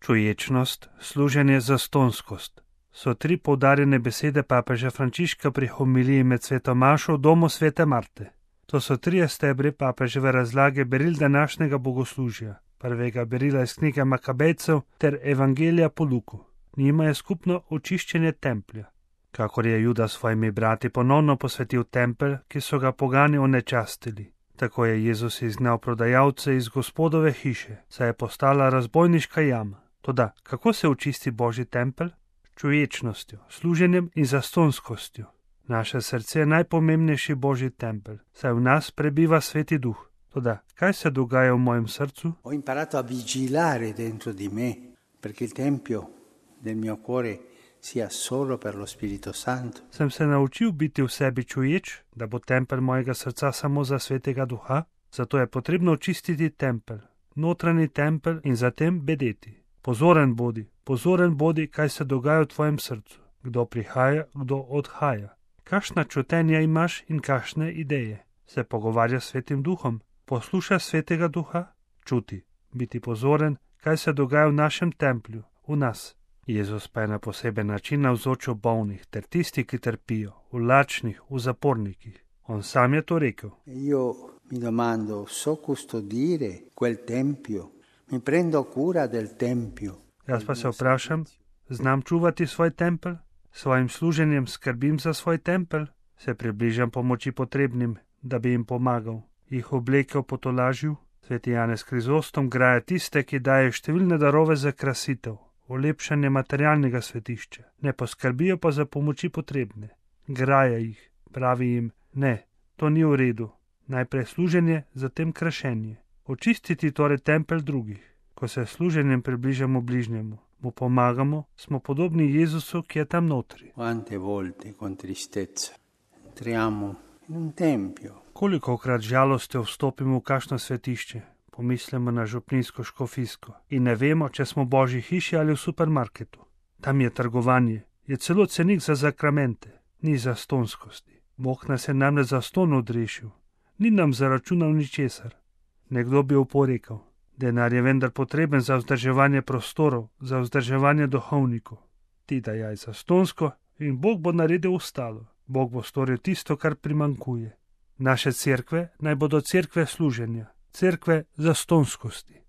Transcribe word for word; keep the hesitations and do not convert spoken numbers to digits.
Čuječnost, služenje, zastonskost so tri poudarjene besede papeža Frančiška pri homiliji med sveto mašo v domu svete Marte. To so trije stebri papeževe razlage beril današnjega bogoslužja, prvega berila iz knjige Makabejcev ter Evangelija po Luku. Njima je skupno očiščenje templja. Kakor je Juda s svojimi brati ponovno posvetil tempelj, ki so ga pogani onečastili, tako je Jezus izgnal prodajalce iz Gospodove hiše, saj je postala razbojniška jama. Toda, kako se očisti Božji tempelj? Čuječnostjo, služenjem in zastonskostjo. Naše srce je najpomembnejši Božji tempelj, saj v nas prebiva Sveti Duh. Toda, kaj se dogaja v mojem srcu? Ho imparato a vigilare dentro di me, perché il tempio del mio cuore sia solo per lo Spirito Santo. Sem se naučil biti v sebi čuječ, da bo tempelj mojega srca samo za Svetega Duha, zato je potrebno očistiti tempelj, notranji tempelj in zatem bedeti. Pozoren bodi, pozoren bodi, kaj se dogaja v tvojem srcu, kdo prihaja, kdo odhaja. Kakšna čutenja imaš in kakšne ideje? Se pogovarja s Svetim Duhom, posluša Svetega Duha, čuti, biti pozoren, kaj se dogaja v našem templju, v nas. Jezus pa je na poseben način navzočil bolnih ter tisti, ki trpijo, v lačnih, v zapornikih. On sam je to rekel. Io mi domando, so custodire quel tempio? Mi prendo cura del tempio. Jaz pa se vprašam, znam čuvati svoj tempelj? Svojim služenjem skrbim za svoj tempelj? Se približam pomoči potrebnim, da bi jim pomagal, jih oblekel, potolažil? Sveti Janez Krizostom graja tiste, ki daje številne darove za krasitev, olepšanje materialnega svetišča, ne poskrbijo pa za pomoči potrebne. Graja jih, pravi jim, ne, to ni v redu. Najprej služenje, zatem krašenje. Očistiti torej tempelj drugih. Ko se služenjem približamo bližnjemu, mu pomagamo, smo podobni Jezusu, ki je tam notri. Quante volte con tristezza entriamo in un tempio. Kolikokrat žalostjo vstopimo v kakšno svetišče, pomislimo na župnijsko škofijsko in ne vemo, če smo v Božji hiši ali v supermarketu. Tam je trgovanje, je celo cenik za zakramente, ni zastonskosti. Bog nas je namreč za ston odrešil, ni nam zaračunal ničesar. Nekdo bi oporekal, denar je vendar potreben za vzdrževanje prostorov, za vzdrževanje duhovnikov. Ti dajaj za stonsko in Bog bo naredil ostalo. Bog bo storil tisto, kar primankuje. Naše cerkve naj bodo cerkve služenja, cerkve zastonskosti.